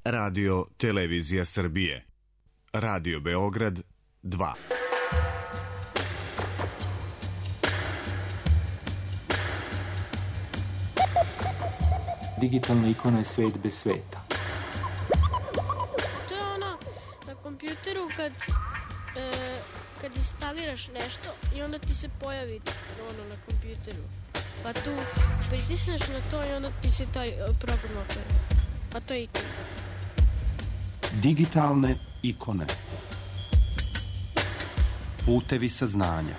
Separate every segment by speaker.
Speaker 1: Radio Televizija Srbije. Radio Beograd 2.
Speaker 2: Digitalna ikona je svet bez sveta.
Speaker 3: To je ono na kompjuteru kad instaliraš nešto i onda ti se pojavi ono na kompjuteru. Pa tu pritisneš na to i onda ti se taj program otvori. Pa to je ikona.
Speaker 2: Digitalne ikone. Putevi saznanja.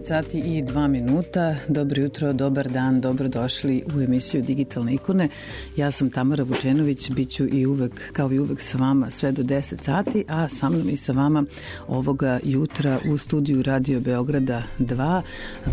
Speaker 4: Sati i 2 minuta. Dobro jutro, dobar dan, dobrodošli u emisiju Digitalne ikone. Ja sam Tamara Vučenović, bit ću i uvek, kao i uvek sa vama sve do 10 sati, a sa mnom i sa vama ovoga jutra u studiju Radio Beograda 2,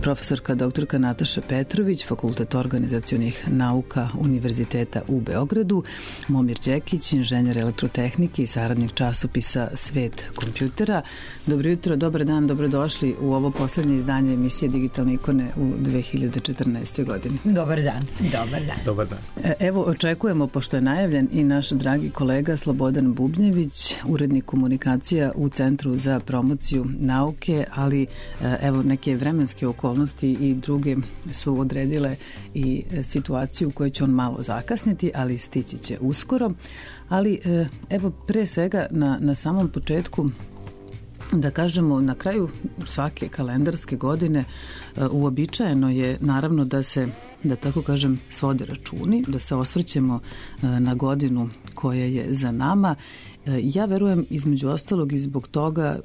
Speaker 4: profesorka doktorka Nataša Petrović, Fakultet organizacionih nauka Univerziteta u Beogradu, Momir Đekić, inženjer elektrotehnike i saradnik časopisa Svet kompjutera. Dobro jutro, dobar dan, dobrodošli u ovo poslednje izdanje emisije Digitalne ikone u 2014. godini.
Speaker 5: Dobar dan. Dobar dan.
Speaker 2: Dobar dan.
Speaker 4: Evo, očekujemo, pošto je najavljen i naš dragi kolega Slobodan Bubnjević, urednik komunikacija u Centru za promociju nauke, ali evo neke vremenske okolnosti i druge su odredile i situaciju u kojoj će on malo zakasniti, ali stići će uskoro. Ali evo, pre svega na samom početku, da kažemo, na kraju svake kalendarske godine uobičajeno je naravno da se, da tako kažem, svode računi, da se osvrćemo na godinu koja je za nama. Ja verujem između ostalog i zbog toga,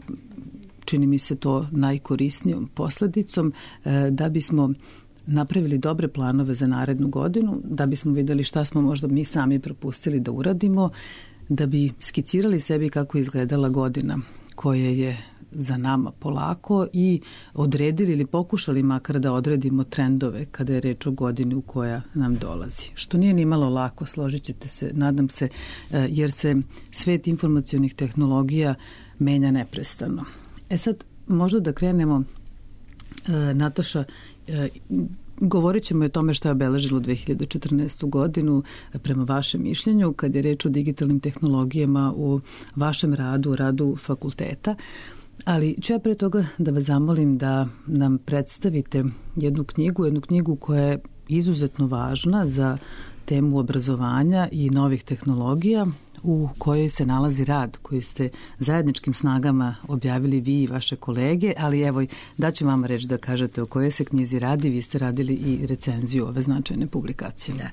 Speaker 4: čini mi se to najkorisnijom posledicom, da bismo napravili dobre planove za narednu godinu, da bismo videli šta smo možda mi sami propustili da uradimo, da bi skicirali sebi kako je izgledala godina koja je za nama polako i odredili ili pokušali makar da odredimo trendove kada je reč o godini u koja nam dolazi. Što nije ni malo lako, složit ćete se, nadam se, jer se svet informacionih tehnologija menja neprestano. Sad, možda da krenemo, Nataša, govorit ćemo o tome što je obeležilo 2014. godinu prema vašem mišljenju kad je reč o digitalnim tehnologijama u vašem radu, radu fakulteta. Ali ću ja pre toga da vas zamolim da nam predstavite jednu knjigu koja je izuzetno važna za temu obrazovanja i novih tehnologija. u kojoj se nalazi rad koji ste zajedničkim snagama objavili vi i vaše kolege, ali evo daću vama reč da kažete o kojoj se knjizi radi. Vi ste radili i recenziju ove značajne publikacije.
Speaker 5: Da.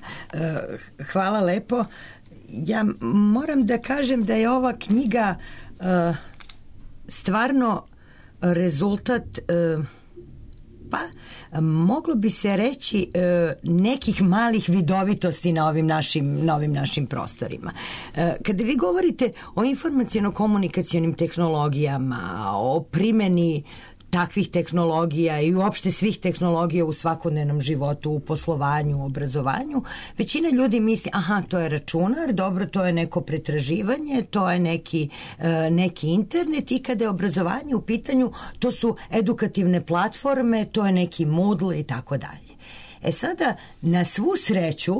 Speaker 5: Hvala lepo. Ja moram da kažem da je ova knjiga stvarno rezultat pa moglo bi se reći nekih malih vidovitosti na ovim našim prostorima. Kada vi govorite o informaciono-komunikacionim tehnologijama, o primjeni takvih tehnologija i uopšte svih tehnologija u svakodnevnom životu, u poslovanju, u obrazovanju, većina ljudi misli, aha, to je računar, dobro, to je neko pretraživanje, to je neki internet, i kada je obrazovanje u pitanju, to su edukativne platforme, to je neki Moodle i tako dalje. Sada, na svu sreću,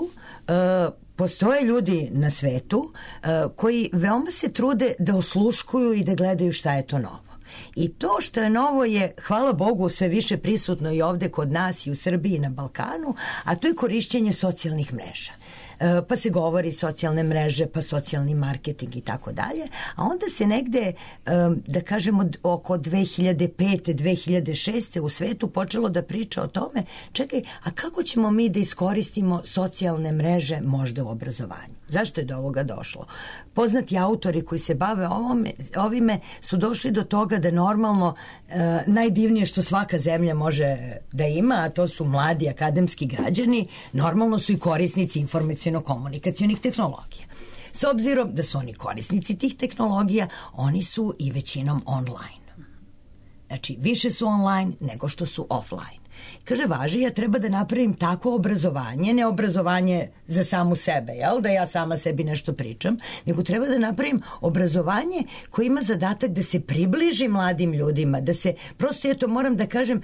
Speaker 5: postoje ljudi na svetu koji veoma se trude da osluškuju i da gledaju šta je to novo. I to što je novo je, hvala Bogu, sve više prisutno i ovde kod nas i u Srbiji i na Balkanu, a to je korišćenje socijalnih mreža. Pa se govori socijalne mreže, pa socijalni marketing i tako dalje, a onda se negde, da kažemo, oko 2005. 2006. u svetu počelo da priča o tome, čekaj, a kako ćemo mi da iskoristimo socijalne mreže možda u obrazovanju? Zašto je do ovoga došlo? Poznati autori koji se bave ovime su došli do toga da normalno najdivnije što svaka zemlja može da ima, a to su mladi akademski građani, normalno su i korisnici informaciono-komunikacionih tehnologija. S obzirom da su oni korisnici tih tehnologija, oni su i većinom online. Znači, više su online nego što su offline. Kaže, važi, ja treba da napravim tako obrazovanje, ne obrazovanje za samu sebe, jel? Da ja sama sebi nešto pričam, nego treba da napravim obrazovanje koje ima zadatak da se približi mladim ljudima, da se, prosto ja to moram da kažem,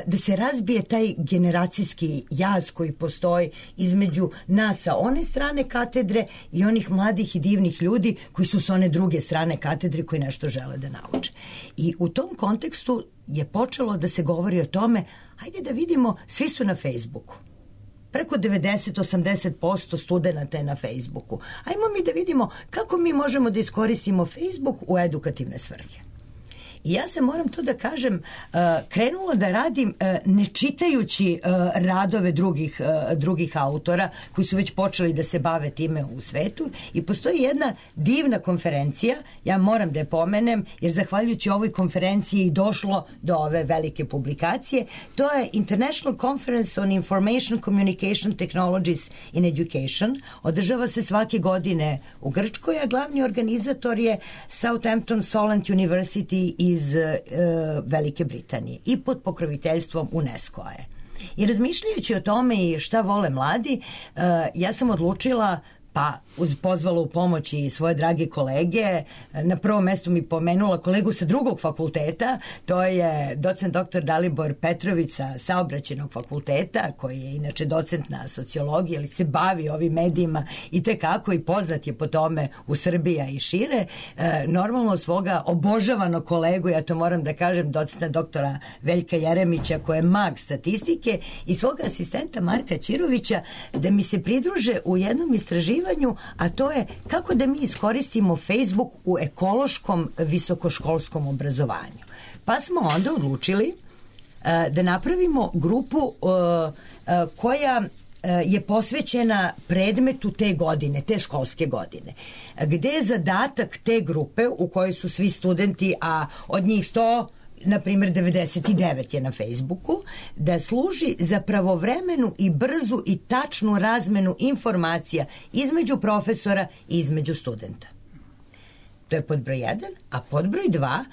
Speaker 5: da se razbije taj generacijski jaz koji postoji između nas sa one strane katedre i onih mladih i divnih ljudi koji su s one druge strane katedre koji nešto žele da nauče. I u tom kontekstu je počelo da se govori o tome, hajde da vidimo, svi su na Facebooku. Preko 90-80% studenta je na Facebooku. Ajmo mi da vidimo kako mi možemo da iskoristimo Facebook u edukativne svrhe. I ja se, moram to da kažem, krenula da radim ne čitajući radove drugih autora koji su već počeli da se bave time u svetu, i postoji jedna divna konferencija, ja moram da je pomenem, jer zahvaljujući ovoj konferenciji i došlo do ove velike publikacije. To je International Conference on Information Communication Technologies in Education. Održava se svake godine u Grčkoj, a glavni organizator je Southampton Solent University iz Velike Britanije i pod pokroviteljstvom UNESCO-a je. I razmišljajući o tome i šta vole mladi, ja sam odlučila, pa pozvala u pomoć i svoje drage kolege. Na prvom mestu mi pomenula kolegu sa drugog fakulteta, to je docent dr. Dalibor Petrović sa Saobraćajnog fakulteta, koji je inače docent na sociologiji, ali se bavi ovim medijima i tekako i poznat je po tome u Srbiji i šire. Normalno svoga obožavanog kolegu, ja to moram da kažem, docenta doktora Veljka Jeremića, koji je mag statistike, i svoga asistenta Marka Ćirovića, da mi se pridruže u jednom istraživanju, a to je kako da mi iskoristimo Facebook u ekološkom visokoškolskom obrazovanju. Pa smo onda odlučili da napravimo grupu koja je posvećena predmetu te godine, te školske godine, gde je zadatak te grupe u kojoj su svi studenti, a od njih 100, na primjer 99 je na Facebooku, da služi za pravovremenu i brzu i tačnu razmenu informacija između profesora i između studenta. To je pod broj 1, a pod broj 2,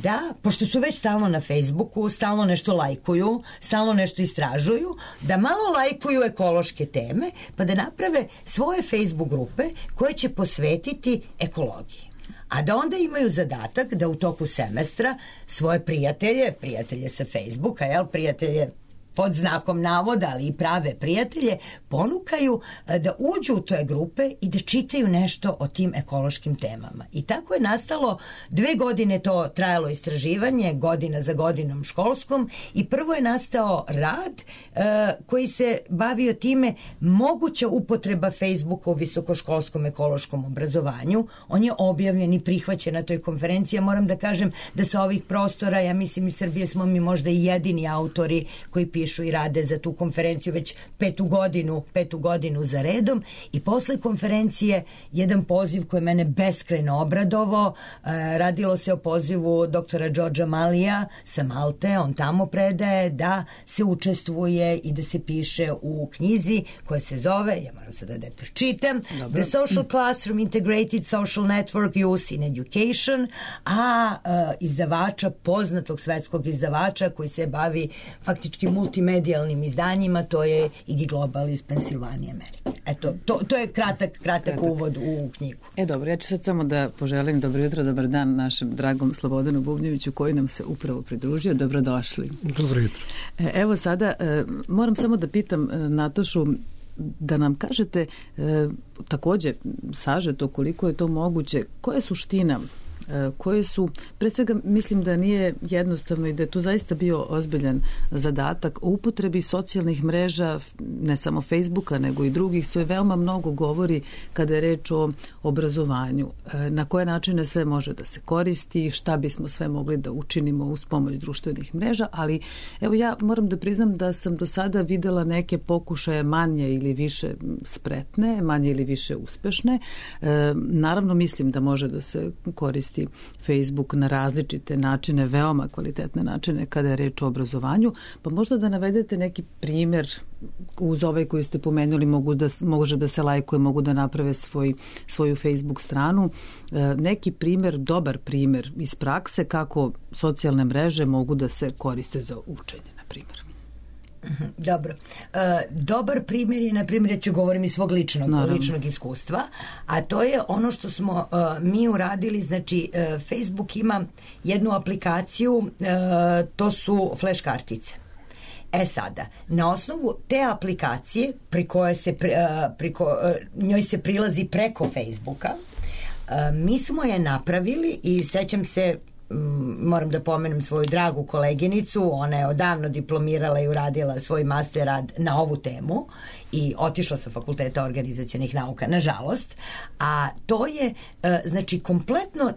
Speaker 5: da, pošto su već stalno na Facebooku, stalno nešto lajkuju, stalno nešto istražuju, da malo lajkuju ekološke teme, pa da naprave svoje Facebook grupe koje će posvetiti ekologiji. A da onda imaju zadatak da u toku semestra svoje prijatelje sa Facebooka, prijatelje pod znakom navoda, ali i prave prijatelje, ponukaju da uđu u te grupe i da čitaju nešto o tim ekološkim temama. I tako je nastalo, 2 godine to trajalo istraživanje, godina za godinom školskom, i prvo je nastao rad koji se bavio time moguća upotreba Facebooka u visokoškolskom ekološkom obrazovanju. On je objavljen i prihvaćen na toj konferenciji. Ja moram da kažem da sa ovih prostora, ja mislim iz Srbije smo mi možda i jedini autori koji pišu i rade za tu konferenciju već petu godinu za redom, i posle konferencije jedan poziv koji mene beskrajno obradovao. Radilo se o pozivu doktora Đorđa Malija sa Malte, on tamo predaje, da se učestvuje i da se piše u knjizi koja se zove, ja moram sada da pročitam, The Social Classroom Integrated Social Network Use in Education, a izdavača, poznatog svetskog izdavača koji se bavi faktički multimedijalnim izdanjima, to je Igi Global iz Pensilvanije, Amerike. Eto, to je kratak uvod u knjigu.
Speaker 4: Dobro, ja ću sad samo da poželim dobro jutro, dobar dan našem dragom Slobodanu Bubnjeviću koji nam se upravo pridružio. Dobrodošli.
Speaker 6: Dobro jutro.
Speaker 4: Evo sada, moram samo da pitam Natašu da nam kažete takođe sažeto koliko je to moguće, koja je suština, koje su, pre svega mislim da nije jednostavno i da je tu zaista bio ozbiljan zadatak o upotrebi socijalnih mreža, ne samo Facebooka nego i drugih, sve veoma mnogo govori kada je reč o obrazovanju, na koje načine sve može da se koristi, šta bismo sve mogli da učinimo uz pomoć društvenih mreža, ali evo ja moram da priznam da sam do sada videla neke pokušaje manje ili više spretne, manje ili više uspešne. Naravno mislim da može da se koristi Facebook na različite načine, veoma kvalitetne načine kada je reč o obrazovanju, pa možda da navedete neki primer uz ovaj koji ste pomenuli, može da se lajkuje, mogu da naprave svoju Facebook stranu, neki primer, dobar primer iz prakse kako socijalne mreže mogu da se koriste za učenje, na primjer.
Speaker 5: Dobro. Dobar primjer je, na primjer, ja ću govorim iz svog ličnog iskustva, a to je ono što smo mi uradili, znači Facebook ima jednu aplikaciju, to su flash kartice. Sada, na osnovu te aplikacije njoj se prilazi preko Facebooka, mi smo je napravili i sećam se, moram da pomenem svoju dragu koleginicu, ona je odavno diplomirala i uradila svoj master rad na ovu temu i otišla sa Fakulteta organizacionih nauka, nažalost, a to je znači kompletno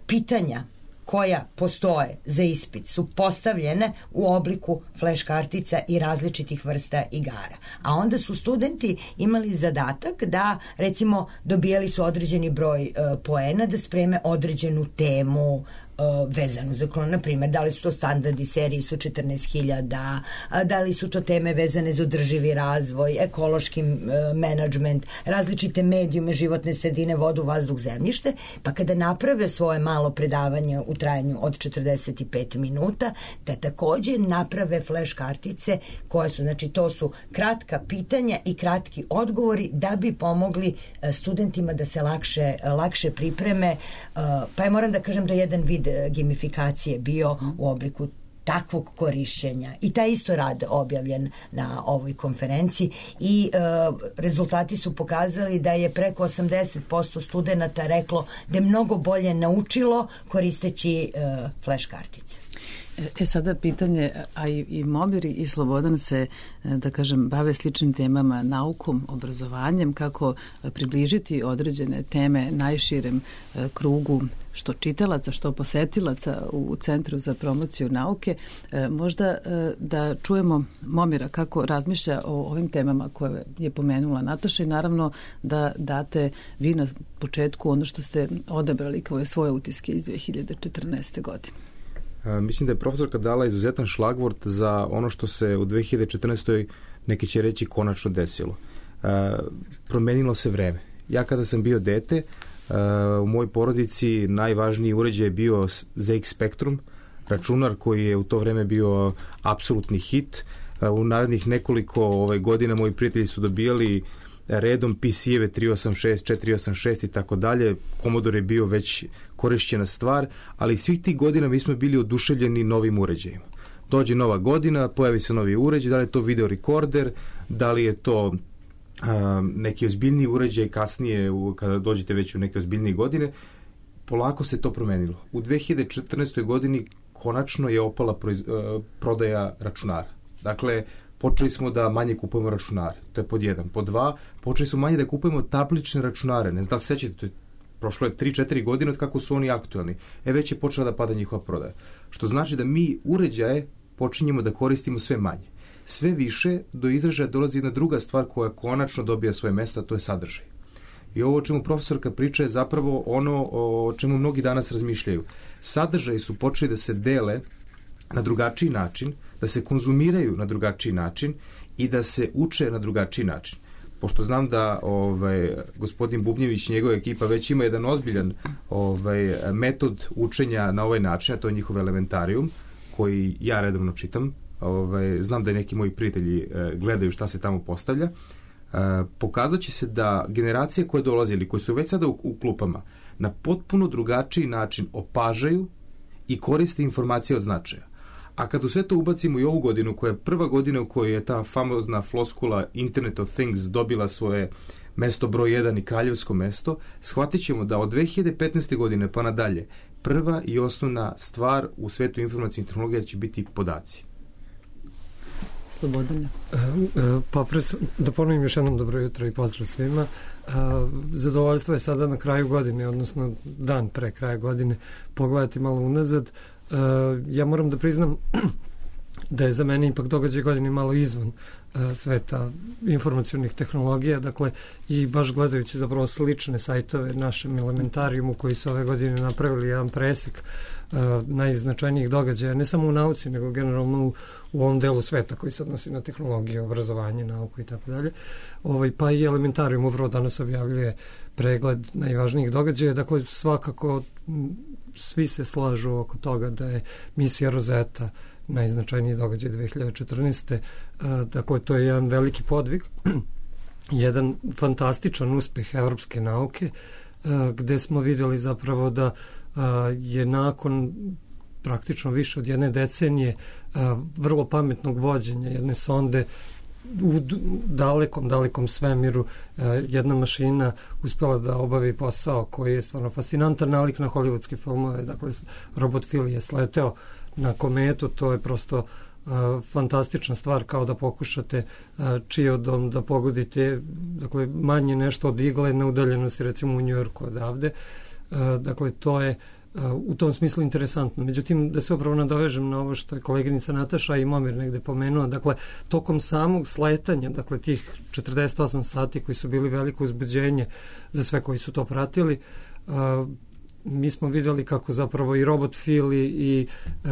Speaker 5: pitanja koja postoje za ispit su postavljene u obliku flash kartica i različitih vrsta igara. A onda su studenti imali zadatak da, recimo, dobijali su određeni broj poena da spreme određenu temu vezanu za na primjer, da li su to standardi, seriji su 14.000, da li su to teme vezane za održivi razvoj, ekološki menadžment, različite medijume, životne sredine, vodu, vazduh, zemljište, pa kada naprave svoje malo predavanje u trajanju od 45 minuta, da takođe naprave flash kartice koje su, znači to su kratka pitanja i kratki odgovori da bi pomogli studentima da se lakše pripreme, pa ja moram da kažem da jedan vid gamifikacije bio u obliku takvog korišćenja i taj isto rad objavljen na ovoj konferenciji i rezultati su pokazali da je preko 80% studenta reklo da je mnogo bolje naučilo koristeći flash kartice.
Speaker 4: Sada pitanje, a i Momir i Slobodan se, da kažem, bave sličnim temama, naukom, obrazovanjem, kako približiti određene teme najširem krugu što čitalaca, što posetilaca u Centru za promociju nauke. Možda da čujemo Momira kako razmišlja o ovim temama koje je pomenula Nataša i naravno da date vi na početku ono što ste odabrali kao svoje utiske iz 2014. godine.
Speaker 6: Mislim da je profesorka dala izuzetan šlagvort za ono što se u 2014. neki će reći konačno desilo. Promenilo se vreme. Ja kada sam bio dete, u mojoj porodici najvažniji uređaj je bio ZX Spectrum, računar koji je u to vreme bio apsolutni hit. U narednih nekoliko godina moji prijatelji su dobijali redom PC-eve 386, 486 i tako dalje. Commodore je bio već korišćena stvar, ali svih tih godina mi smo bili oduševljeni novim uređajima. dođe nova godina, pojavi se novi uređaj, da li je to video rekorder, da li je to neki ozbiljniji uređaj kasnije, kada dođete već u neke ozbiljnije godine, polako se to promenilo. U 2014. godini konačno je opala prodaja računara. Dakle, počeli smo da manje kupujemo računare. To je pod 1. Pod 2, počeli smo manje da kupujemo tablične računare. Ne znam da se sećate, prošlo je 3-4 godine od kako su oni aktualni. Već je počela da pada njihova prodaja. Što znači da mi uređaje počinjemo da koristimo sve manje. Sve više do izražaja dolazi jedna druga stvar koja konačno dobija svoje mesto, a to je sadržaj. I ovo o čemu profesorka priča je zapravo ono o čemu mnogi danas razmišljaju. Sadržaji su počeli da se dele na drugačiji način, da se konzumiraju na drugačiji način i da se uče na drugačiji način. Pošto znam da gospodin Bubnjević i njegova ekipa već ima jedan ozbiljan metod učenja na ovaj način, a to je njihov elementarijum, koji ja redovno čitam. Znam da i neki moji prijatelji gledaju šta se tamo postavlja. Pokazat će se da generacije koje dolaze ili koje su već sada u klupama na potpuno drugačiji način opažaju i koriste informacije od značaja. A kad u sve to ubacimo i ovu godinu, koja je prva godina u kojoj je ta famozna floskula Internet of Things dobila svoje mesto broj 1 i kraljevsko mesto, shvatit ćemo da od 2015. godine pa nadalje prva i osnovna stvar u svetu informacijnih tehnologija će biti podaci.
Speaker 4: Slobodane.
Speaker 7: Pa da ponovim još jednom dobro jutro i pozdrav svima. Zadovoljstvo je sada na kraju godine, odnosno dan pre kraja godine, pogledati malo unazad. Ja moram da priznam da je za mene ipak događaj godine malo izvan sveta informacionih tehnologija, dakle i baš gledajući zapravo slične sajtove našem elementarijumu koji su ove godine napravili jedan presek najznačajnijih događaja, ne samo u nauci, nego generalno u ovom delu sveta koji se odnosi na tehnologiju, obrazovanje, nauku i tako dalje. Pa i elementarijum upravo danas objavljuje pregled najvažnijih događaja, dakle svakako svi se slažu oko toga da je misija Rosetta najznačajniji događaj 2014. Dakle, to je jedan veliki podvig, jedan fantastičan uspeh evropske nauke, gde smo vidjeli zapravo da je nakon praktično više od jedne decenije vrlo pametnog vođenja jedne sonde u dalekom svemiru jedna mašina uspjela da obavi posao koji je stvarno fascinantan nalik na hollywoodske filmove. Dakle, robot Phil je sleteo na kometu, to je prosto fantastična stvar, kao da pokušate čiodom da pogodite, dakle, manje nešto od igle na udaljenosti, recimo u Njujorku odavde. Dakle, to je u tom smislu interesantno. Međutim, da se upravo nadovežem na ovo što je koleginica Nataša i Momir negde pomenula, dakle, tokom samog sletanja, dakle, tih 48 sati koji su bili veliko uzbuđenje za sve koji su to pratili, mi smo vidjeli kako zapravo i robot Phil i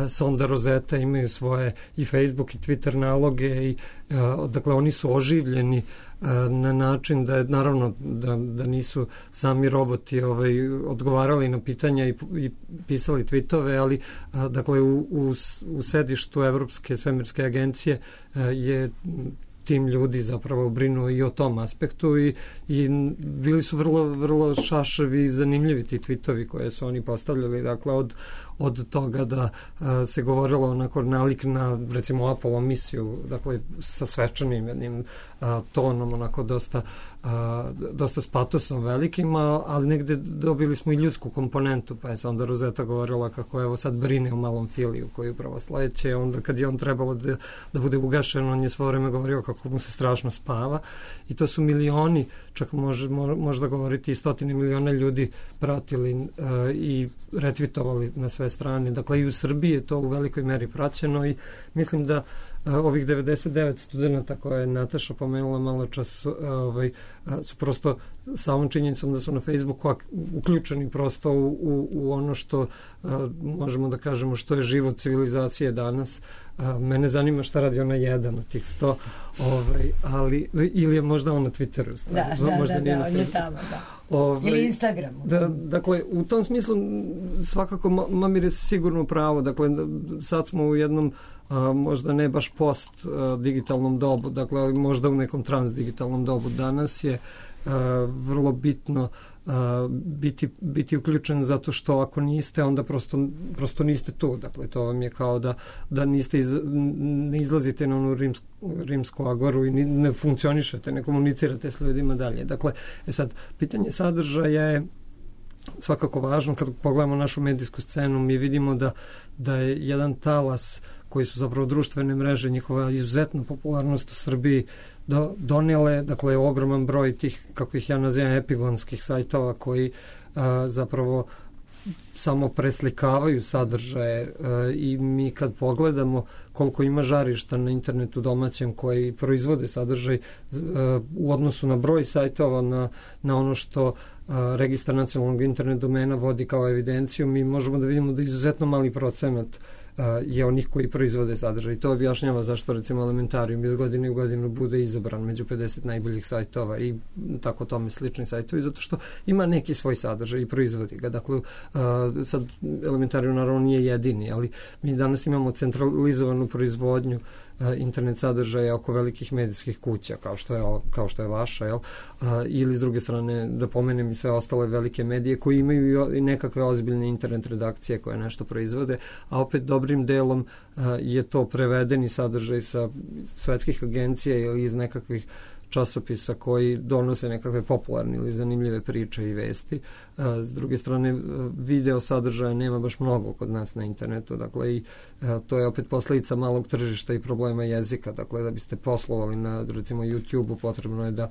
Speaker 7: sonda Rosetta imaju svoje i Facebook i Twitter naloge i dakle oni su oživljeni na način da je naravno da nisu sami roboti odgovarali na pitanja i pisali tweetove, ali dakle u sedištu Evropske svemirske agencije je tim ljudi zapravo brinuo i o tom aspektu i bili su vrlo šaševi i zanimljivi ti tweetovi koje su oni postavljali, dakle od toga da se govorilo onako nalik na recimo Apollo misiju, dakle sa svečanim jednim tonom, onako dosta s patosom velikim, ali negde dobili smo i ljudsku komponentu, pa je se onda Rosetta govorila kako evo sad brine o malom Filiju koji upravo sledeće, onda kad je on trebalo da bude ugašen, on je svo vreme govorio kako mu se strašno spava i to su milioni, čak možda govoriti i stotine miliona ljudi pratili i retvitovali na sve strane. Dakle, i u Srbiji je to u velikoj meri praćeno i mislim da ovih 99 studenta koje je Nataša pomenula malo čas su prosto sa ovom činjenicom da su na Facebooku uključeni prosto u ono što možemo da kažemo što je život civilizacije danas. Mene zanima šta radi ona jedan od tih 100, ali ili je možda on na Twitteru.
Speaker 5: Možda on je tamo, da. Ili Instagramu.
Speaker 7: Dakle, u tom smislu svakako Mamir je sigurno pravo. Dakle, sad smo u jednom možda ne baš post digitalnom dobu, dakle možda u nekom transdigitalnom dobu. Danas je vrlo bitno biti uključen, zato što ako niste, onda prosto niste tu. Dakle, to vam je kao da ne izlazite na onu rimsku agoru i ne funkcionišete, ne komunicirate s ljudima dalje. Dakle, sad, pitanje sadržaja je svakako važno. Kad pogledamo našu medijsku scenu, mi vidimo da je jedan talas koji su zapravo društvene mreže, njihova izuzetna popularnost u Srbiji donijele, dakle, ogroman broj tih, kako ih ja nazivam, epigonskih sajtova koji zapravo samo preslikavaju sadržaje i mi kad pogledamo koliko ima žarišta na internetu domaćem koji proizvode sadržaj u odnosu na broj sajtova, na ono što Registar nacionalnog internet domena vodi kao evidenciju, mi možemo da vidimo da izuzetno mali procenat je onih koji proizvode sadržaj. To objašnjava zašto, recimo, Elementarijum iz godine u godinu bude izabran među 50 najboljih sajtova i tako tome slični sajtovi, zato što ima neki svoj sadržaj i proizvodi ga. Dakle, sad Elementarijum naravno nije jedini, ali mi danas imamo centralizovanu proizvodnju internet sadržaja oko velikih medijskih kuća kao što je vaša, jel? Ili s druge strane da pomenem i sve ostale velike medije koji imaju i nekakve ozbiljne internet redakcije koje nešto proizvode, a opet dobrim delom je to prevedeni sadržaj sa svetskih agencija ili iz nekakvih časopisa koji donose nekakve popularne ili zanimljive priče i vesti. S druge strane, video sadržaja nema baš mnogo kod nas na internetu, dakle, i to je opet posledica malog tržišta i problema jezika. Dakle, da biste poslovali na, recimo, YouTube-u, potrebno je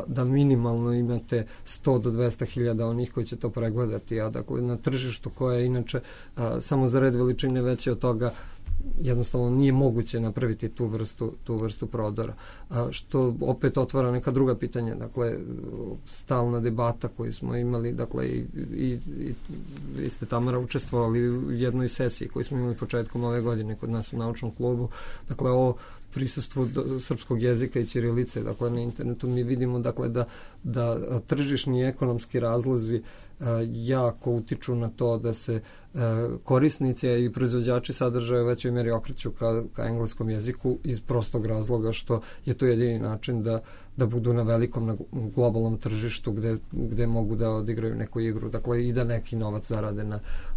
Speaker 7: da minimalno imate 100 do 200 hiljada onih koji će to pregledati, a dakle, na tržištu koje je inače samo za red veličine veće od toga, jednostavno nije moguće napraviti tu vrstu prodora. Što opet otvara neka druga pitanja, dakle, stalna debata koju smo imali, dakle, i vi ste, Tamara, učestvovali u jednoj sesiji koju smo imali početkom ove godine kod nas u naučnom klubu, dakle, o prisustvu srpskog jezika i ćirilice, dakle, na internetu mi vidimo, dakle, da tržišni i ekonomski razlozi jako utiču na to da se korisnici i proizvođači sadržaja u većoj meri okreću ka engleskom jeziku iz prostog razloga što je to jedini način da budu na velikom, na globalnom tržištu gde mogu da odigraju neku igru, dakle, i da neki novac zarade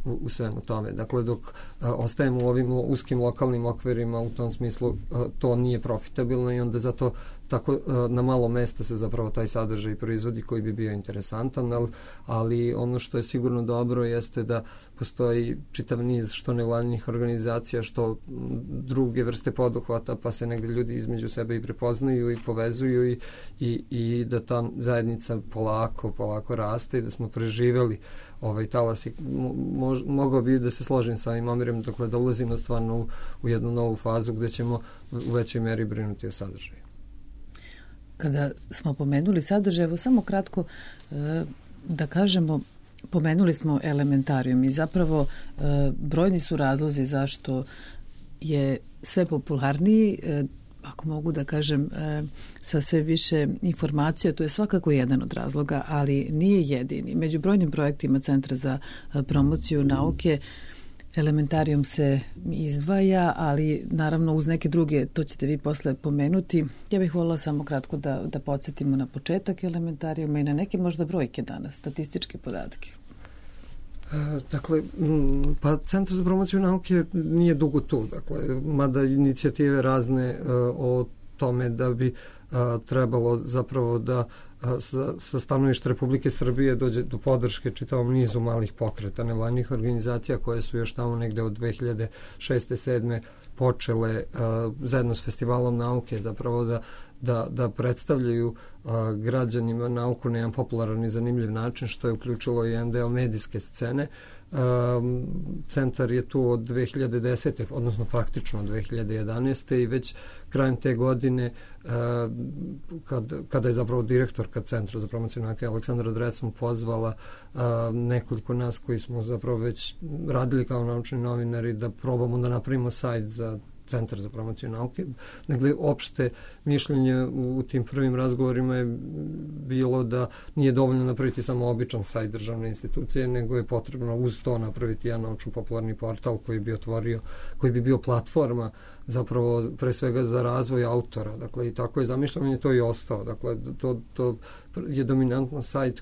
Speaker 7: u svemu tome. Dakle, dok ostajemo u ovim uskim lokalnim okvirima, u tom smislu to nije profitabilno i onda zato tako na malo mesta se zapravo taj sadržaj proizvodi koji bi bio interesantan, ali ono što je sigurno dobro jeste da postoji čitav niz što nevladinih organizacija, što druge vrste poduhvata, pa se negdje ljudi između sebe i prepoznaju i povezuju i da ta zajednica polako raste i da smo preživeli ovaj talas i mogao bi da se složim sa ovim Omirom, dakle, da ulazimo stvarno u jednu novu fazu gde ćemo u većoj meri brinuti o sadržaju.
Speaker 4: Kada smo pomenuli sadržaj, evo samo kratko da kažemo, pomenuli smo Elementarijum i zapravo brojni su razlozi zašto je sve popularniji, ako mogu da kažem, sa sve više informacija, to je svakako jedan od razloga, ali nije jedini. Među brojnim projektima Centra za promociju nauke Elementarijum se izdvaja, ali naravno uz neke druge, to ćete vi posle pomenuti. Ja bih voljela samo kratko da podsjetimo na početak Elementarijuma i na neke možda brojke danas, statističke podatke.
Speaker 7: Dakle, pa Centar za promociju nauke nije dugo tu, dakle, mada inicijative razne o tome da bi trebalo zapravo da sa stanovišta Republike Srbije dođe do podrške čitavom nizu malih pokreta nevladnih organizacija koje su još tamo negde od 2006. 2007. počele zajedno s Festivalom nauke zapravo da predstavljaju građanima nauku na jedan popularan i zanimljiv način, što je uključilo i jedan deo medijske scene. Centar je tu od 2010. odnosno praktično od 2011. i već krajem te godine kada je zapravo direktorka Centra za promociju nauke Aleksandra Drecun pozvala nekoliko nas koji smo zapravo već radili kao naučni novinari da probamo da napravimo sajt za Centar za promociju nauke. Dakle, opšte mišljenje u tim prvim razgovorima je bilo da nije dovoljno napraviti samo običan sajt državne institucije, nego je potrebno uz to napraviti jedan naučno-popularni portal koji bi bio platforma zapravo pre svega za razvoj autora. Dakle, i tako je zamišljeno i to i ostao. Dakle, to je dominantno sajt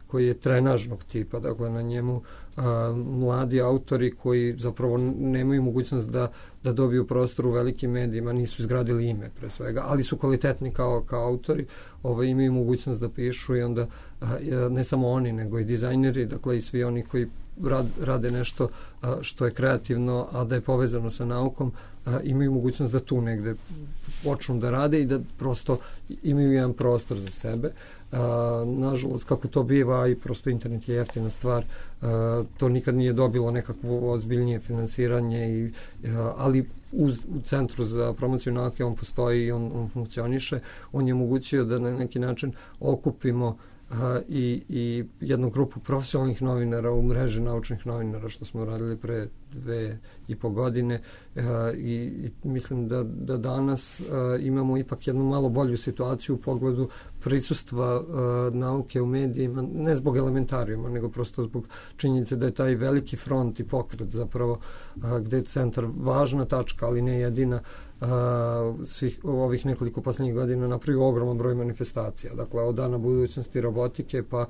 Speaker 7: koji je trenažnog tipa. Dakle, na njemu mladi autori koji zapravo nemaju mogućnost da dobiju prostor u velikim medijima, nisu izgradili ime pre svega, ali su kvalitetni kao autori, imaju mogućnost da pišu i onda ne samo oni, nego i dizajneri, dakle i svi oni koji rade nešto što je kreativno, a da je povezano sa naukom, imaju mogućnost da tu negde počnu da rade i da prosto imaju jedan prostor za sebe. Nažalost, kako to biva, i prosto internet je jeftina stvar, to nikad nije dobilo nekakvo ozbiljnije finansiranje, ali u Centru za promociju nauke on postoji i on funkcioniše. On je omogućio da na neki način okupimo i jednu grupu profesionalnih novinara u mreži naučnih novinara, što smo radili pre 2,5 godine, i mislim da danas imamo ipak jednu malo bolju situaciju u pogledu prisustva nauke u medijima, ne zbog elementarijuma, nego prosto zbog činjenice da je taj veliki front i pokret zapravo gde je centar važna tačka, ali ne jedina, svih ovih nekoliko poslednjih godina napravio ogroman broj manifestacija. Dakle, od Dana budućnosti robotike pa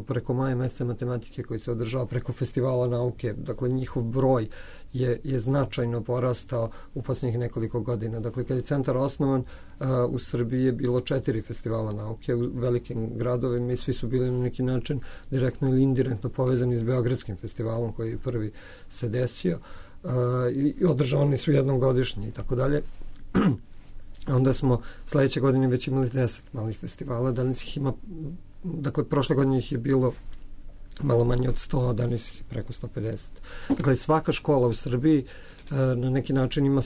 Speaker 7: preko maja meseca matematike koji se održava, preko festivala nauke. Dakle, njihov broj je značajno porastao u poslednjih nekoliko godina. Dakle, kad je centar osnovan, u Srbiji je bilo 4 festivala nauke u velikim gradovima i svi su bili na neki način direktno ili indirektno povezani s Beogradskim festivalom koji je prvi se desio. I održavani su jednom godišnje i tako dalje. Onda smo sledeće godine već imali 10 malih festivala, danas ih ima, dakle prošle godine ih je bilo malo manje od 100, a danas ih je preko 150. Dakle, svaka škola u Srbiji na neki način ima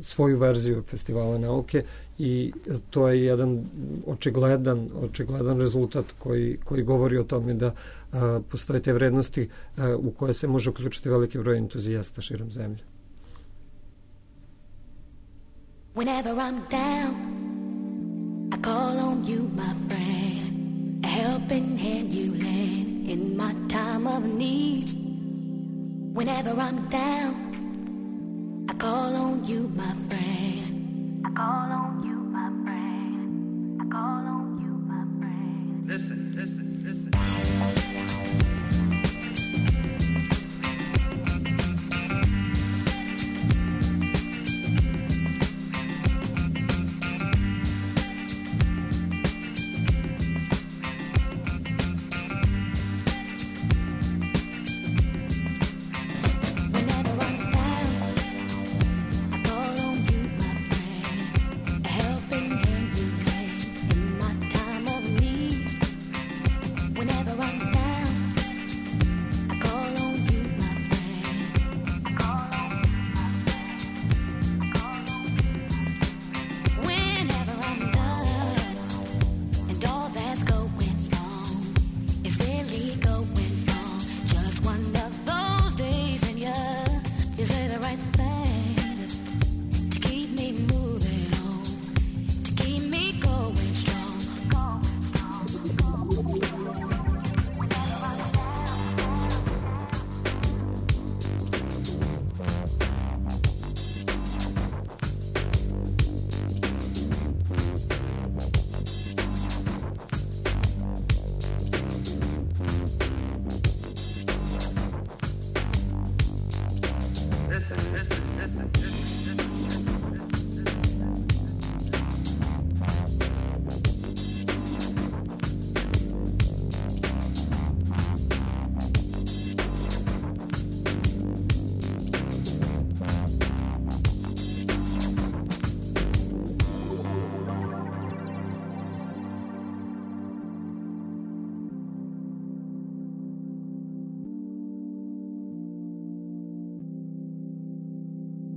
Speaker 7: svoju verziju festivala nauke i to je jedan očigledan rezultat koji govori o tome da postoje te vrednosti u koje se može uključiti veliki broj entuzijasta širom zemlje.
Speaker 8: Whenever I'm down, I call on you, my friend. A helping hand you lend in my time of need. Whenever I'm down, I call on you, my friend. I call on you, my friend. I call on you, my friend. Listen, listen, listen.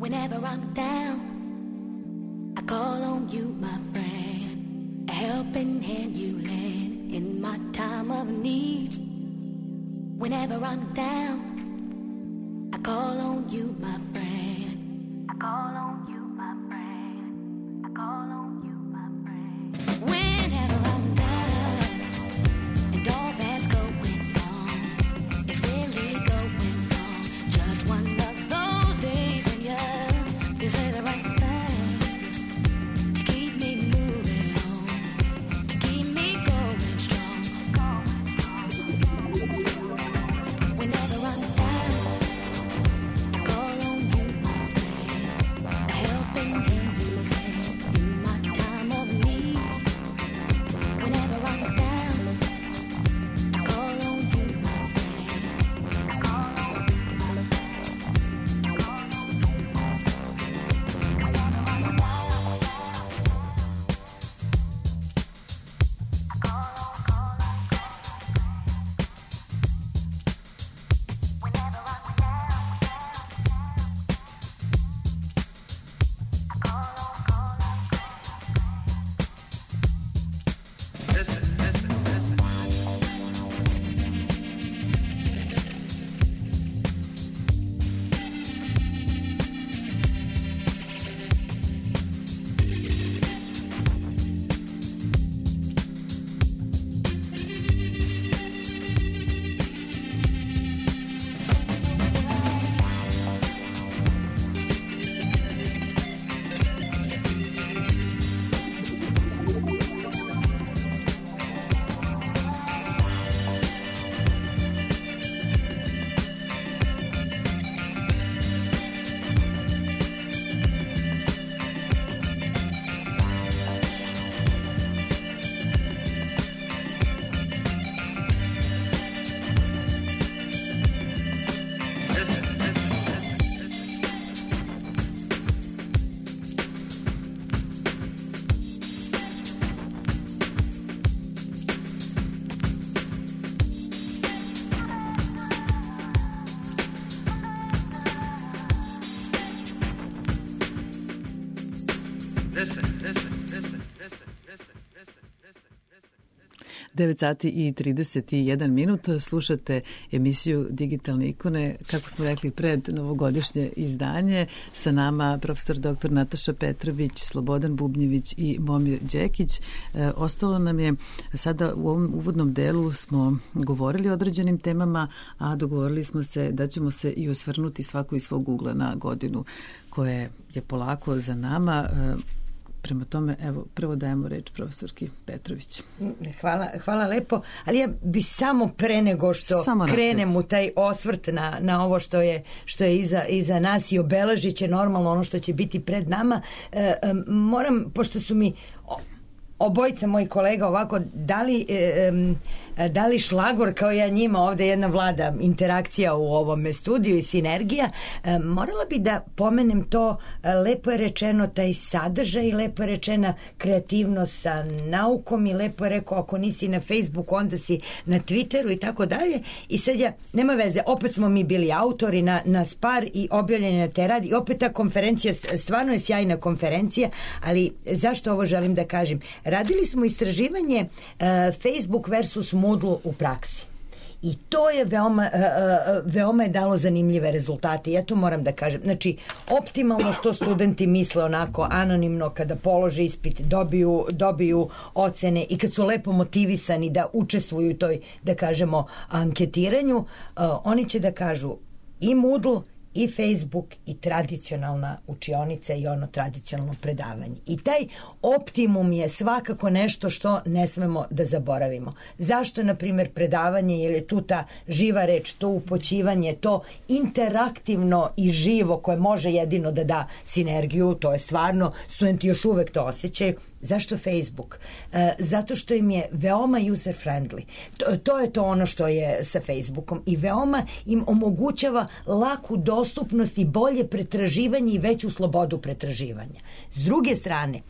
Speaker 8: Whenever I'm down, I call on you, my friend. A helping hand you lend in my time of need. Whenever I'm down, I call on you, my friend. I call on you, my friend. I call on you, my friend. Whenever I'm down, and all that's going wrong is really going wrong. Just one of those days in your
Speaker 4: 9 sati i 31 minut. Slušate emisiju Digitalne ikone, kako smo rekli, pred novogodišnje izdanje. Sa nama profesor dr. Nataša Petrović, Slobodan Bubnjević i Momir Đekić. Ostalo nam je sada u ovom uvodnom delu smo govorili o određenim temama, a dogovorili smo se da ćemo se i osvrnuti svako iz svog ugla na godinu koje je polako za nama. Prema tome, evo, prvo dajemo reč profesorki Petrović.
Speaker 5: Hvala lepo, ali ja bi samo pre nego što krenem u taj osvrt na ovo što je iza nas i obeležit će normalno ono što će biti pred nama, moram, pošto su mi obojica mojih kolega ovako dali šlagor kao ja njima, ovde jedna vlada interakcija u ovome studiju i sinergija, morala bi da pomenem to, lepo je rečeno taj sadržaj, lepo je rečena kreativnost sa naukom i lepo je rekao ako nisi na Facebooku onda si na Twitteru i tako dalje, i sad nema veze, opet smo mi bili autori na SPAR i objavljeni na te radi i opet ta konferencija stvarno je sjajna konferencija, ali zašto ovo želim da kažem? Radili smo istraživanje Facebook versus Moodle u praksi. I to je veoma je dalo zanimljive rezultate. Ja to moram da kažem. Znači, optimalno što studenti misle onako anonimno kada polože ispit, dobiju ocene i kad su lepo motivisani da učestvuju u toj, da kažemo, anketiranju, oni će da kažu i Moodle i Facebook i tradicionalna učionica i ono tradicionalno predavanje. I taj optimum je svakako nešto što ne smemo da zaboravimo. Zašto, na primjer, predavanje, jer je tu ta živa reč, to upoćivanje, to interaktivno i živo koje može jedino da da sinergiju, to je stvarno, studenti još uvek to osjećaju. Zašto Facebook? Zato što im je veoma user friendly. To je to ono što je sa Facebookom i veoma im omogućava laku dostupnost i bolje pretraživanje i veću slobodu pretraživanja. S druge strane,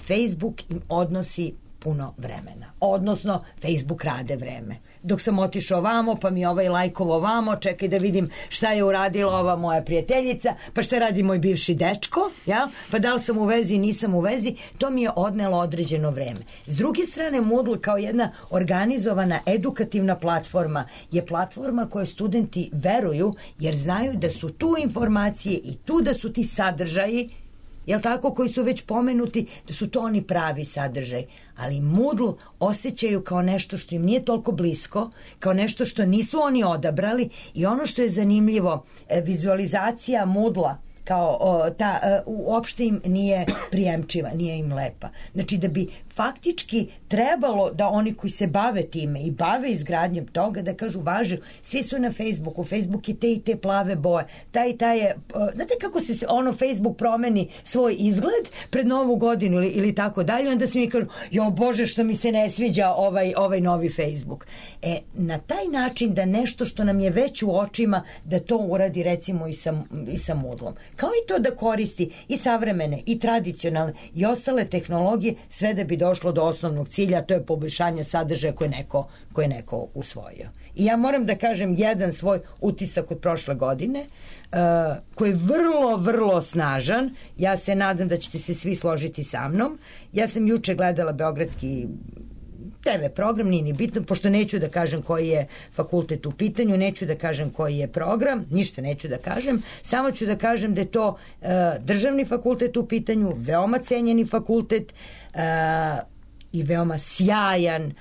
Speaker 5: Facebook im odnosi puno vremena. Odnosno, Facebook rade vreme. Dok sam otišao ovamo, pa mi ovaj lajkovo ovamo, čekaj da vidim šta je uradila ova moja prijateljica, pa šta radi moj bivši dečko, ja? Pa da li sam u vezi, nisam u vezi, to mi je odnelo određeno vreme. S druge strane, Moodle kao jedna organizovana edukativna platforma je platforma koje studenti veruju jer znaju da su tu informacije i tu da su ti sadržaji, jel tako, koji su već pomenuti, da su to oni pravi sadržaj. Ali Moodle osjećaju kao nešto što im nije toliko blisko, kao nešto što nisu oni odabrali i ono što je zanimljivo, vizualizacija Moodle-a kao uopšte im nije prijemčiva, nije im lepa. Znači da bi faktički trebalo da oni koji se bave time i bave izgradnjom toga da kažu važi, svi su na Facebooku, Facebook je te i te plave boje, taj je, znate kako se ono Facebook promeni svoj izgled pred novu godinu ili tako dalje, onda se mi kažu, jo Bože što mi se ne sviđa ovaj novi Facebook. Na taj način da nešto što nam je već u očima, da to uradi recimo i sa Moodle-om. Kao i to da koristi i savremene i tradicionalne i ostale tehnologije, sve da bi došlo do osnovnog cilja, a to je poboljšanje sadržaja koje je neko usvojio. I ja moram da kažem jedan svoj utisak od prošle godine, koji je vrlo, vrlo snažan. Ja se nadam da ćete se svi složiti sa mnom. Ja sam juče gledala beogradski TV program, nije ni bitno, pošto neću da kažem koji je fakultet u pitanju, neću da kažem koji je program, ništa neću da kažem, samo ću da kažem da je to državni fakultet u pitanju, veoma cenjeni fakultet i veoma sjajan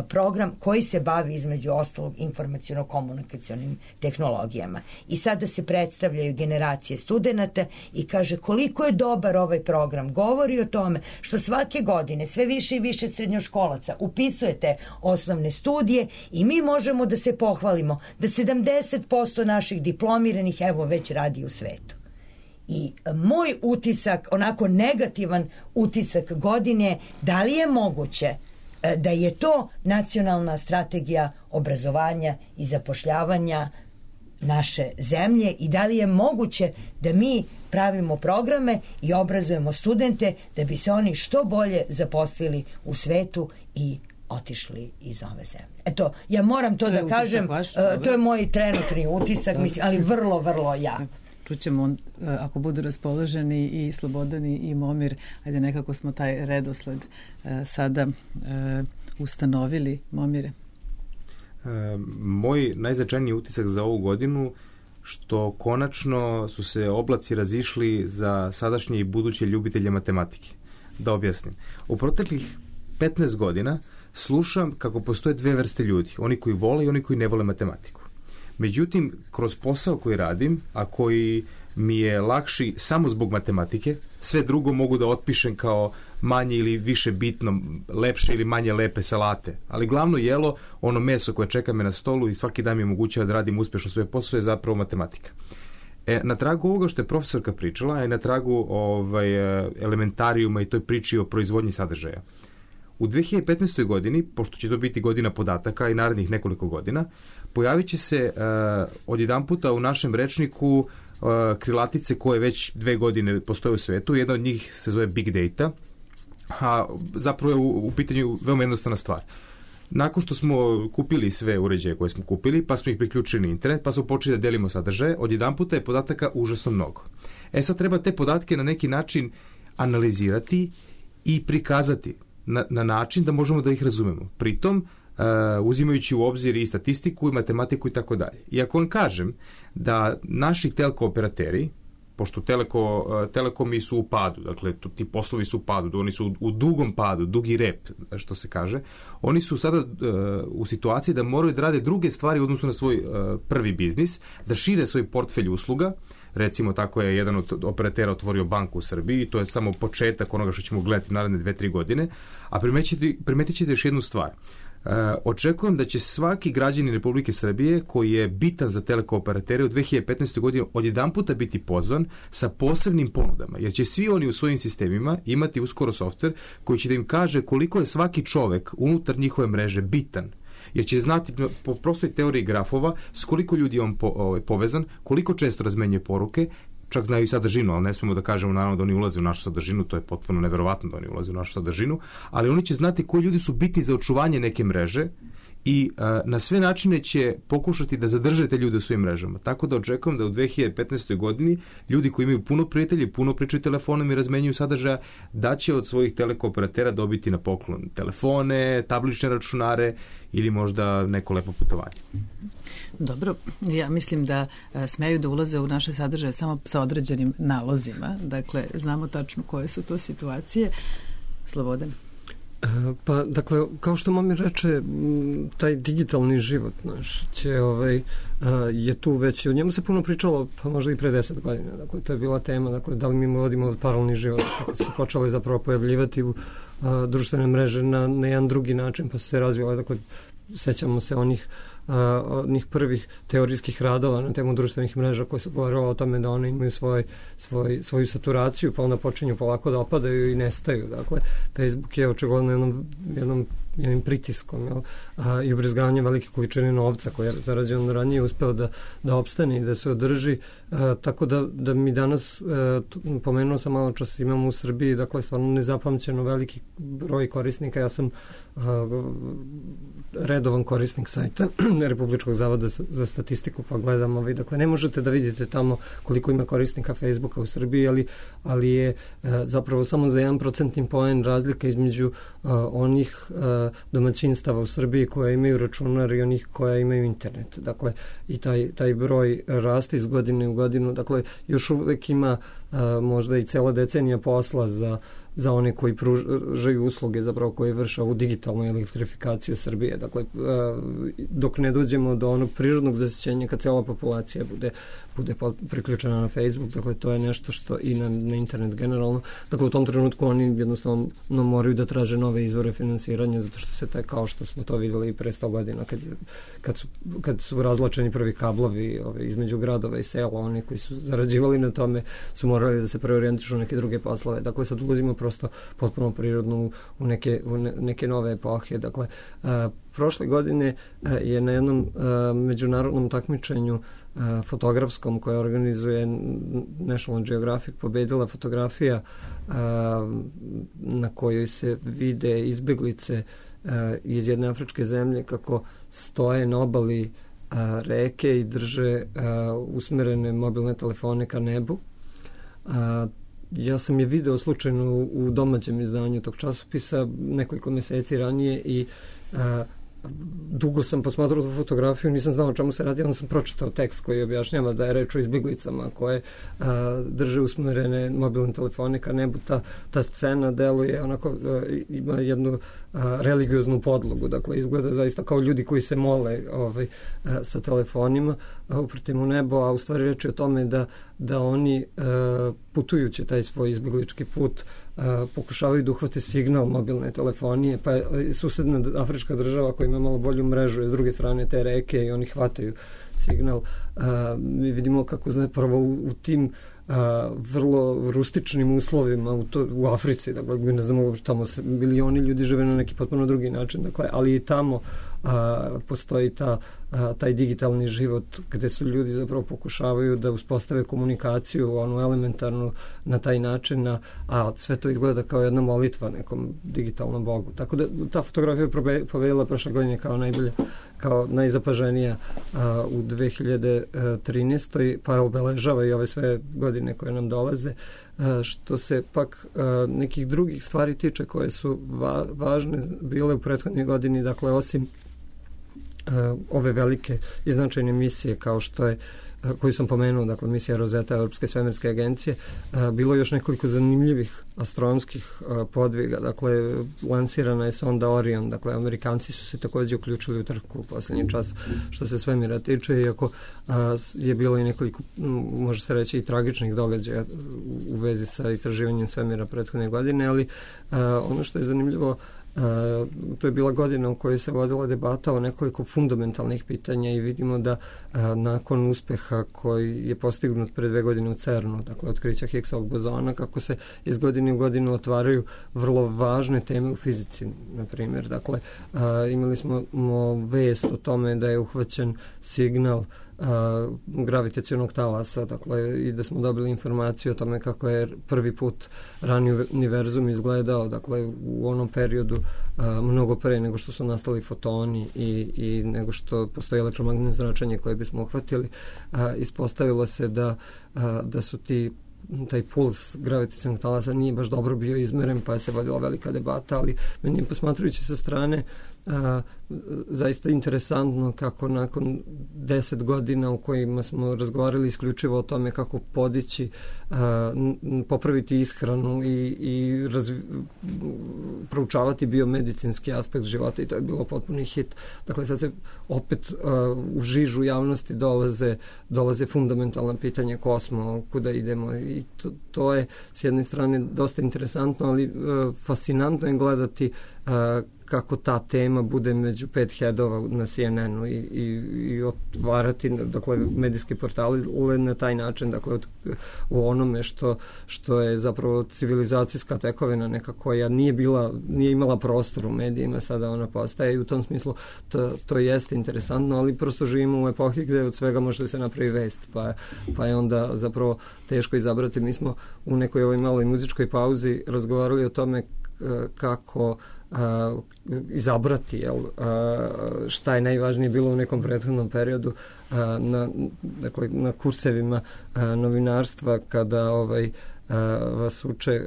Speaker 5: program koji se bavi između ostalog informaciono-komunikacionim tehnologijama. I sada se predstavljaju generacije studenata i kaže koliko je dobar ovaj program. Govori o tome što svake godine sve više i više srednjoškolaca upisujete osnovne studije i mi možemo da se pohvalimo da 70% naših diplomiranih evo već radi u svetu. I moj utisak, onako negativan utisak godine, da li je moguće da je to nacionalna strategija obrazovanja i zapošljavanja naše zemlje i da li je moguće da mi pravimo programe i obrazujemo studente da bi se oni što bolje zaposlili u svetu i otišli iz ove zemlje. Eto, ja moram to da kažem, to je moj trenutni utisak, mislim, ali vrlo, vrlo jak.
Speaker 4: čućemo ako budu raspoloženi i Slobodan i Momir. Ajde, nekako smo taj redosled sada ustanovili. Momire?
Speaker 6: Moj najznačajniji utisak za ovu godinu što konačno su se oblaci razišli za sadašnje i buduće ljubitelje matematike. Da objasnim. U proteklih 15 godina slušam kako postoje dve vrste ljudi. Oni koji vole i oni koji ne vole matematiku. Međutim, kroz posao koji radim, a koji mi je lakši samo zbog matematike, sve drugo mogu da otpišem kao manje ili više bitno, lepše ili manje lepe salate. Ali glavno jelo, ono meso koje čeka me na stolu i svaki dan mi omogućava da radim uspješno svoje posao je zapravo matematika. Na tragu ovoga što je profesorka pričala, a i na tragu elementarijuma i toj priči o proizvodnji sadržaja. U 2015. godini, pošto će to biti godina podataka i narednih nekoliko godina, pojavit će se odjedanputa u našem rečniku krilatice koje već 2 godine postoje u svetu. Jedna od njih se zove Big Data, a zapravo je u pitanju veoma jednostavna stvar. Nakon što smo kupili sve uređaje koje smo kupili, pa smo ih priključili na internet, pa smo počeli da delimo sadržaje, odjedanputa je podataka užasno mnogo. Sad treba te podatke na neki način analizirati i prikazati na način da možemo da ih razumemo. Pritom, uzimajući u obzir i statistiku i matematiku i tako dalje. I ako vam kažem da naši telko operateri, pošto telekomi su u padu, dakle ti poslovi su u padu, oni su u dugom padu, dugi rep, što se kaže, oni su sada u situaciji da moraju da rade druge stvari u odnosu na svoj prvi biznis, da šire svoj portfelj usluga. Recimo, tako je jedan od operatera otvorio banku u Srbiji, to je samo početak onoga što ćemo gledati naredne 2-3 godine, a primetit ćete još jednu stvar. Očekujem da će svaki građanin Republike Srbije koji je bitan za telekooperatere u 2015. godini odjedanputa biti pozvan sa posebnim ponudama, jer će svi oni u svojim sistemima imati uskoro softver koji će da im kaže koliko je svaki čovek unutar njihove mreže bitan, jer će znati po prostoj teoriji grafova s koliko ljudi je on povezan, koliko često razmenjuje poruke, čak znaju i sadržinu, ali ne smemo da kažemo naravno da oni ulaze u našu sadržinu, to je potpuno neverovatno da oni ulaze u našu sadržinu, ali oni će znati koji ljudi su bitni za očuvanje neke mreže i na sve načine će pokušati da zadrže te ljude u svojim mrežama. Tako da očekujem da u 2015. godini ljudi koji imaju puno prijatelji, puno pričaju telefonom i razmenjuju sadržaja, da će od svojih telekooperatora dobiti na poklon telefone, tablične računare ili možda neko lepo putovanje.
Speaker 4: Dobro, ja mislim da smeju da ulaze u naše sadržaje samo sa određenim nalozima. Dakle, znamo tačno koje su to situacije. Slobodan?
Speaker 7: Pa, dakle, kao što Momir reče, taj digitalni život naš je tu već, o njemu se puno pričalo, pa možda i pre 10 godina. Dakle, to je bila tema, dakle, da li mi vodimo paralelni život, kako su počeli zapravo pojavljivati u društvene mreže na jedan drugi način, pa su se razvijale, dakle, sećamo se onih prvih teorijskih radova na temu društvenih mreža koje su govorilo o tome da one imaju svoju saturaciju, pa onda počinju polako da opadaju i nestaju. Dakle, Facebook je očigledno jednim pritiskom i ubrizgavanjem velike količine novca koje je zarađeno ranije uspeo da opstane i da se održi, tako da mi danas, pomenuo sam malo čas, imamo u Srbiji, dakle, stvarno nezapamćeno veliki broj korisnika. Ja sam redovan korisnik sajta Republičkog zavoda za statistiku, pa gledam, dakle, ne možete da vidite tamo koliko ima korisnika Facebooka u Srbiji, ali je zapravo samo za 1% poen razlika između onih domaćinstava u Srbiji koja imaju računar i onih koja imaju internet. Dakle, i taj broj raste iz godine u godinu. Dakle, još uvek ima možda i cela decenija posla za one koji pružaju usluge, zapravo koji vrše ovu digitalnu elektrifikaciju Srbije. Dakle, dok ne dođemo do onog prirodnog zasićenja kad cela populacija bude priključena na Facebook, dakle, to je nešto što i na internet generalno. Dakle, u tom trenutku oni jednostavno moraju da traže nove izvore finansiranja, zato što se kao što smo to vidjeli i pre 100 godina, kad su razlačeni prvi kablovi između gradova i sela, oni koji su zarađivali na tome su morali da se preorijentišu u neke druge poslove. Dakle, sad ulazimo prosto potpuno prirodno u neke nove epohe. Dakle, prošle godine je na jednom međunarodnom takmičenju fotografskom koje organizuje National Geographic pobedila fotografija na kojoj se vide izbeglice iz jedne afričke zemlje kako stoje na obali reke i drže usmerene mobilne telefone ka nebu. Ja sam je video slučajno u domaćem izdanju tog časopisa nekoliko meseci ranije i dugo sam posmatrao tu fotografiju, nisam znao o čemu se radi, onda sam pročitao tekst koji objašnjava da je reč o izbjeglicama koje drže usmerene mobilne telefone ka nebu. Ta scena deluje onako, ima jednu religioznu podlogu, dakle izgleda zaista kao ljudi koji se mole sa telefonima upratim u nebo, a u stvari reč je o tome da oni putujući taj svoj izbjeglički put pokušavaju da uhvate signal mobilne telefonije, pa susedna afrička država koja ima malo bolju mrežu je s druge strane te reke i oni hvataju signal. Mi vidimo kako zapravo u tim vrlo rustičnim uslovima u Africi, dakle mi ne znamo tamo milioni ljudi žive na neki potpuno drugi način, dakle, ali i tamo postoji taj digitalni život gde su ljudi zapravo pokušavaju da uspostave komunikaciju, onu elementarnu na taj način, a sve to izgleda kao jedna molitva nekom digitalnom bogu. Tako da ta fotografija je pobedila prošle godine kao najzapaženija u 2013. pa obeležava i ove sve godine koje nam dolaze. Što se pak nekih drugih stvari tiče koje su važne bile u prethodnoj godini, dakle osim ove velike i značajne misije kao što je koju sam pomenuo, dakle misija Rosetta Europske svemirske agencije, bilo još nekoliko zanimljivih astronomskih podviga, dakle lansirana je sonda Orion, dakle Amerikanci su se također uključili u trku u posljednji čas što se svemira tiče, iako je bilo i nekoliko, može se reći, i tragičnih događaja u vezi sa istraživanjem svemira prethodne godine, ali ono što je zanimljivo, to je bila godina u kojoj se vodila debata o nekoliko fundamentalnih pitanja i vidimo da nakon uspeha koji je postignut pre 2 godine u CERN-u, dakle otkrića Higgsovog bozona, kako se iz godine u godinu otvaraju vrlo važne teme u fizici, na primjer. Dakle, imali smo vest o tome da je uhvaćen signal gravitacionog talasa, dakle, i da smo dobili informaciju o tome kako je prvi put rani univerzum izgledao, dakle, u onom periodu mnogo pre nego što su nastali fotoni i nego što postoji elektromagnetno zračenje koje bismo uhvatili. Ispostavilo se da su taj puls gravitacionog talasa nije baš dobro bio izmeren, pa je se vodila velika debata, ali meni je, posmatrujući sa strane, zaista interesantno kako nakon 10 godina u kojima smo razgovarali isključivo o tome kako podići, popraviti ishranu i proučavati biomedicinski aspekt života, i to je bilo potpuni hit. Dakle, sad se opet u žižu javnosti dolaze fundamentalna pitanja ko smo, kuda idemo, i to je s jedne strane dosta interesantno, ali fascinantno je gledati kako ta tema bude među 5 headova na CNN-u i otvarati, dakle, medijski portali na taj način, dakle, u onome što je zapravo civilizacijska tekovina neka koja nije imala prostor u medijima, sada ona postaje, i u tom smislu to jeste interesantno, ali prosto živimo u epohi gde od svega može da se napravi vest, pa je onda zapravo teško izabrati. Mi smo u nekoj ovoj maloj muzičkoj pauzi razgovarali o tome kako izabrati šta je najvažnije bilo u nekom prethodnom periodu na kursevima novinarstva, kada vas uče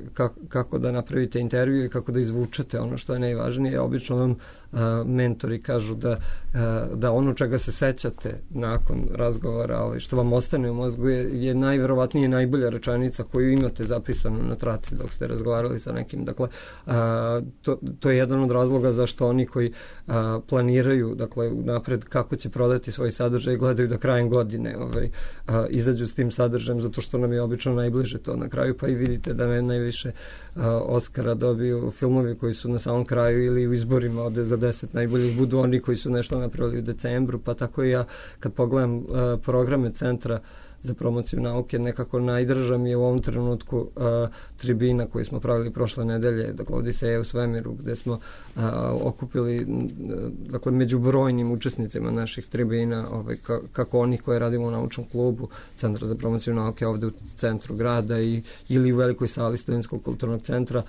Speaker 7: kako da napravite intervju i kako da izvučete ono što je najvažnije. Obično vam mentori kažu da ono čega se sećate nakon razgovora, što vam ostane u mozgu, je najverovatnije najbolja rečenica koju imate zapisanu na traci dok ste razgovarali sa nekim. Dakle, to je jedan od razloga zašto oni koji planiraju, dakle, napred kako će prodati svoj sadržaj, gledaju da krajem godine izađu s tim sadržajem, zato što nam je obično najbliže to na kraju, pa i vidite da najviše Oskara dobiju filmovi koji su na samom kraju ili u izborima ode za 10 najboljih budu oni koji su nešto napravili u decembru, pa tako i ja kad pogledam programe centra za promociju nauke. Nekako najdrža mi je u ovom trenutku tribina koju smo pravili prošle nedelje, dakle Odiseja u svemiru, gde smo okupili dakle među brojnim učesnicima naših tribina, kako onih koje radimo u naučnom klubu Centra za promociju nauke ovde u centru grada ili u velikoj sali Studentskog kulturnog centra.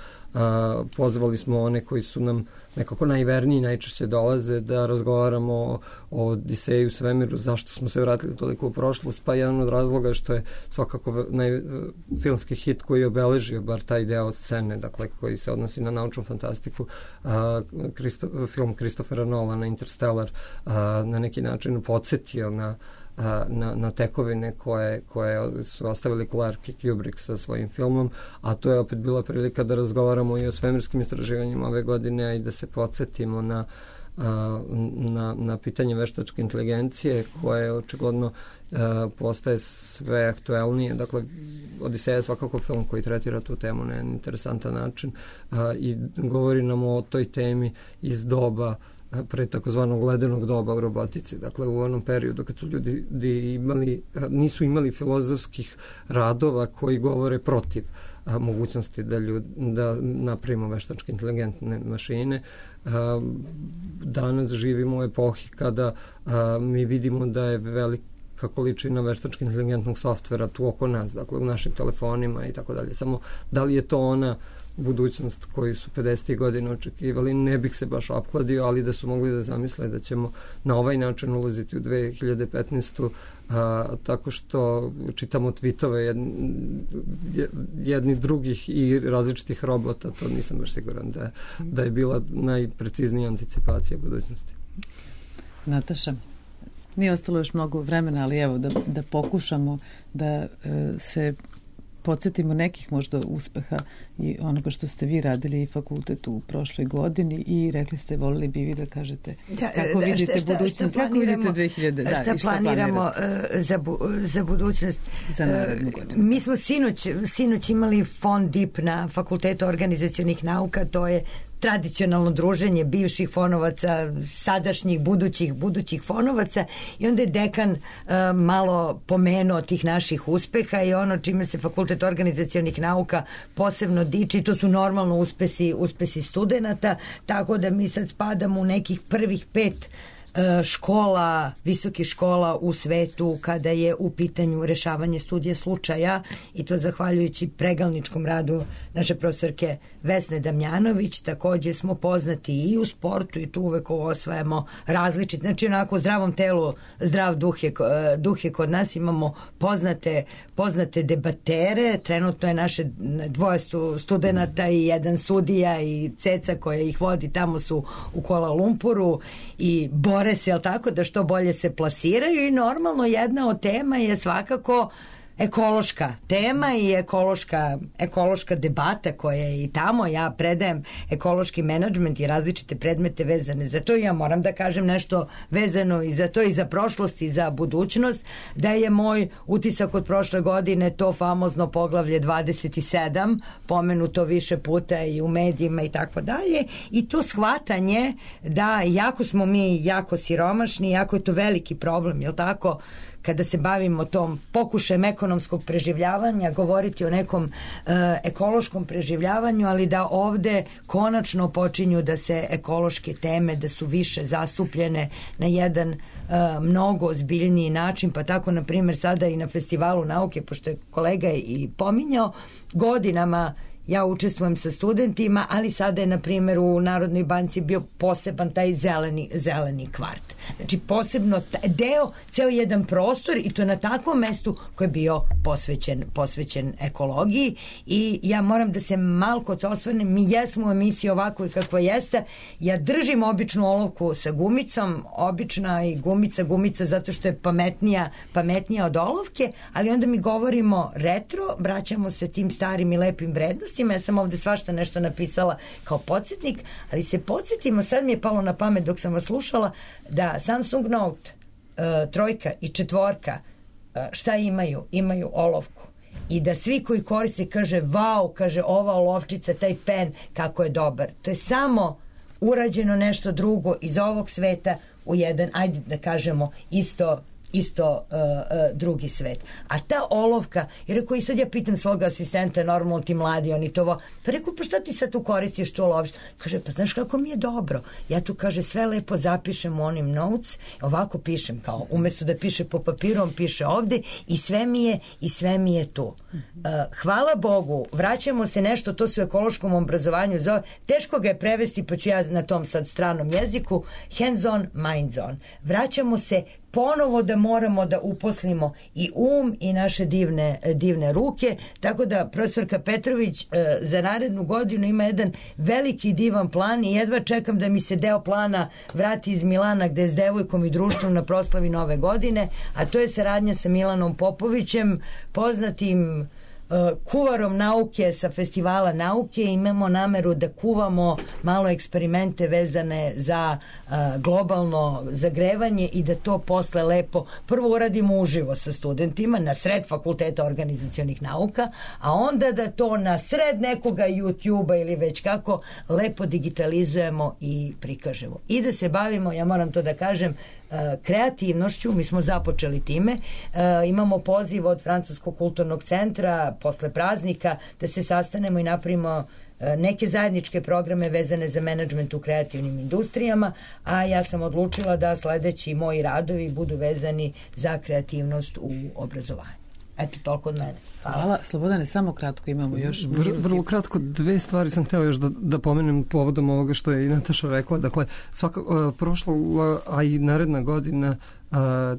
Speaker 7: Pozvali smo one koji su nam nekako najverniji, najčešće dolaze da razgovaramo o Odiseju u svemiru, zašto smo se vratili toliko u prošlost, pa jedan od razloga što je svakako filmski hit koji je obeležio bar taj deo scene, dakle koji se odnosi na naučnu fantastiku, film Christophera Nolana Interstellar na neki način podsjetio na tekovine koje su ostavili Clark i Kubrick sa svojim filmom, a to je opet bila prilika da razgovaramo i o svemirskim istraživanjima ove godine i da se podsjetimo na pitanje veštačke inteligencije koje očigledno postaje sve aktuelnije. Dakle, Odiseja je svakako film koji tretira tu temu na interesantan način i govori nam o toj temi iz doba pre takozvanog ledenog doba u robotici. Dakle, u onom periodu kad su ljudi nisu imali filozofskih radova koji govore protiv mogućnosti da napravimo veštačke inteligentne mašine. Danas živimo u epohi kada mi vidimo da je velika količina veštački inteligentnog softvera tu oko nas, dakle u našim telefonima i tako dalje. Samo da li je to ona budućnost koju su 50. godina očekivali, ne bih se baš opkladio, ali da su mogli da zamisle da ćemo na ovaj način ulaziti u 2015. Tako što čitamo tweetove jednih drugih i različitih robota, to nisam baš siguran da je bila najpreciznija anticipacija budućnosti.
Speaker 4: Nataša, nije ostalo još mnogo vremena, ali evo da pokušamo da se podsjetimo nekih možda uspeha i onoga što ste vi radili i fakultetu u prošloj godini i rekli ste, volili bi vi da kažete kako vidite budućnost, kako vidite 2000,
Speaker 5: šta planiramo za budućnost.
Speaker 4: Za narednu godinu.
Speaker 5: Mi smo sinoć imali fond DIP na Fakultetu organizacionih nauka, to je tradicionalno druženje bivših fonovaca, sadašnjih, budućih fonovaca i onda je dekan malo pomenuo tih naših uspeha i ono čime se Fakultet organizacionih nauka posebno diči, to su normalno uspesi studenata, tako da mi sad spadamo u nekih prvih 5 škola, visokih škola u svetu kada je u pitanju rešavanje studija slučaja i to zahvaljujući pregalničkom radu naše profesorke Vesne Damjanović. Takođe smo poznati i u sportu i tu uvek osvajamo različit, znači onako u zdravom telu zdrav duh je kod nas, imamo poznate debatere, trenutno je naše 2 studenata i 1 sudija i Ceca koja ih vodi, tamo su u Kuala Lumpuru i bore se, jel tako, da što bolje se plasiraju i normalno jedna od tema je svakako ekološka tema i ekološka debata koja je i tamo. Ja predajem ekološki menadžment i različite predmete vezane za to i ja moram da kažem nešto vezano i za to i za prošlost i za budućnost, da je moj utisak od prošle godine to famozno poglavlje 27, pomenuto više puta i u medijima i tako dalje, i to shvatanje da jako smo mi jako siromašni, jako je to veliki problem, jel tako, kada se bavimo tom pokušajem ekonomskog preživljavanja, govoriti o nekom ekološkom preživljavanju, ali da ovde konačno počinju da se ekološke teme, da su više zastupljene na jedan mnogo ozbiljniji način, pa tako na primjer sada i na Festivalu nauke, pošto je kolega i pominjao, godinama ja učestvujem sa studentima, ali sada je, na primjer, u Narodnoj banci bio poseban taj zeleni kvart. Znači, posebno ceo jedan prostor i to na takvom mestu koji je bio posvećen ekologiji i ja moram da se malko osvrnem, mi jesmo u emisiji ovako i kakva jeste, ja držim običnu olovku sa gumicom, obična i gumica zato što je pametnija od olovke, ali onda mi govorimo retro, vraćamo se tim starim i lepim vrednostima. Ja sam ovde svašta nešto napisala kao podsjetnik, ali se podsjetimo, sad mi je palo na pamet dok sam vas slušala, da Samsung Note 3 i 4 šta imaju? Imaju olovku. I da svi koji koriste kaže wow, kaže ova olovčica, taj pen, kako je dobar. To je samo urađeno nešto drugo iz ovog sveta u jedan, ajde da kažemo, isto isto drugi svet. A ta olovka, jer rekao, i sad ja pitam svog asistenta, normalno ti mladi, oni to pa rekao, pa šta ti sad tu koristiš, tu loviš? Kaže, pa znaš kako mi je dobro. Ja tu, kaže, sve lepo zapišem u onim notes, ovako pišem, kao umesto da piše po papiru, on piše ovde i sve mi je tu. Hvala Bogu, vraćamo se nešto, to se u ekološkom obrazovanju zove, teško ga je prevesti, pa ću ja na tom sad stranom jeziku, hands on, minds on. Vraćamo se ponovo da moramo da uposlimo i i naše divne ruke, tako da profesorka Petrović za narednu godinu ima jedan veliki divan plan i jedva čekam da mi se deo plana vrati iz Milana gde je s devojkom i društvom na proslavi Nove godine, a to je saradnja sa Milanom Popovićem, poznatim kuvarom nauke sa festivala nauke. Imamo nameru da kuvamo malo eksperimente vezane za globalno zagrevanje i da to posle lepo prvo uradimo uživo sa studentima na sred fakulteta organizacionih nauka, a onda da to na sred nekoga YouTube-a ili već kako lepo digitalizujemo i prikažemo. I da se bavimo, ja moram to da kažem, kreativnošću, mi smo započeli time, imamo poziv od Francuskog kulturnog centra posle praznika da se sastanemo i napravimo neke zajedničke programe vezane za menadžment u kreativnim industrijama, a ja sam odlučila da sledeći moji radovi budu vezani za kreativnost u obrazovanju. Eto, toliko od mene.
Speaker 4: Hvala. Slobodane, samo kratko imamo još.
Speaker 7: Vrlo kratko, dve stvari sam hteo još da pomenem povodom ovoga što je i Nataša rekla. Dakle, prošla, a i naredna godina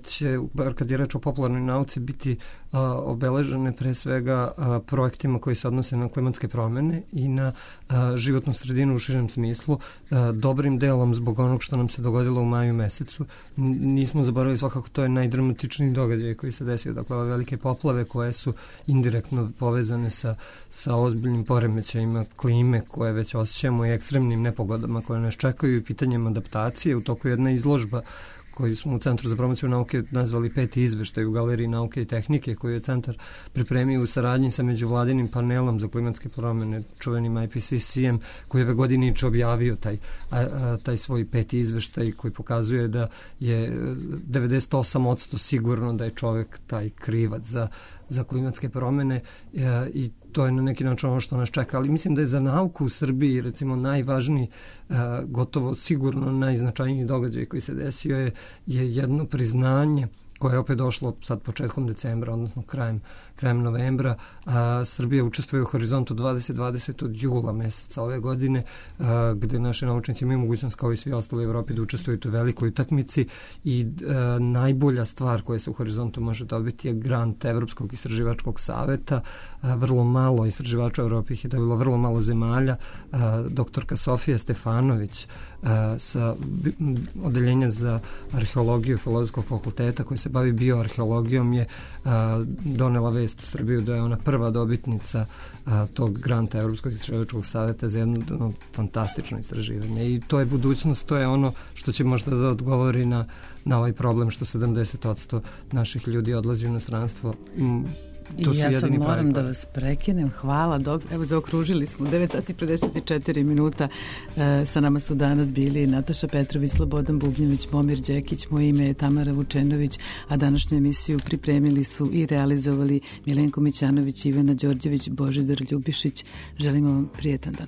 Speaker 7: će, bar kad je reč o popularnoj nauci, biti obeležene pre svega projektima koji se odnose na klimatske promene i na životnu sredinu u širem smislu, dobrim delom zbog onog što nam se dogodilo u maju mesecu. Nismo zaboravili, svakako to je najdramatičniji događaj koji se desio, dakle ove velike poplave koje su indirektno povezane sa ozbiljnim poremećajima klime koje već osjećamo i ekstremnim nepogodama koje nas čekaju i pitanjem adaptacije. U toku jedna izložba koju smo u Centru za promociju nauke nazvali 5. izveštaj u Galeriji nauke i tehnike, koju je centar pripremio u saradnji sa međuvladinim panelom za klimatske promene, čuvenim IPCC-em, koji je ove godine objavio taj svoj 5. izveštaj koji pokazuje da je 98% sigurno da je čovek taj krivac za klimatske promene i to je na neki način ono što nas čeka, ali mislim da je za nauku u Srbiji recimo najvažniji, gotovo sigurno najznačajniji događaj koji se desio je jedno priznanje koje je opet došlo sad početkom decembra, odnosno krajem novembra. Srbija učestvuje u Horizontu 2020 od jula meseca ove godine, gde naši naučnici imaju mogućnost kao i svi ostali u Evropi da učestvuju u toj velikoj utakmici i najbolja stvar koja se u Horizontu može dobiti je grant Evropskog istraživačkog saveta. Vrlo malo istraživača u Evropi ih je dobilo, vrlo malo zemalja. Doktorka Sofija Stefanović sa odeljenja za arheologiju Filozofskog fakulteta koji se bavi bioarheologijom je donela vest u Srbiju da je ona prva dobitnica tog granta Evropskog istraživačkog saveta za jedno fantastično istraživanje i to je budućnost, to je ono što će možda da odgovori na ovaj problem što 70% naših ljudi odlazi u inostranstvo.
Speaker 4: I ja sad moram da vas prekinem. Hvala. Evo, zaokružili smo 9 sati 54 minuta. Sa nama su danas bili Nataša Petrović, Slobodan Bubnjević, Momir Đekić, moje ime je Tamara Vučenović, a današnju emisiju pripremili su i realizovali Milenko Mićanović, Ivana Đorđević, Božidar Ljubišić. Želimo vam prijetan dan.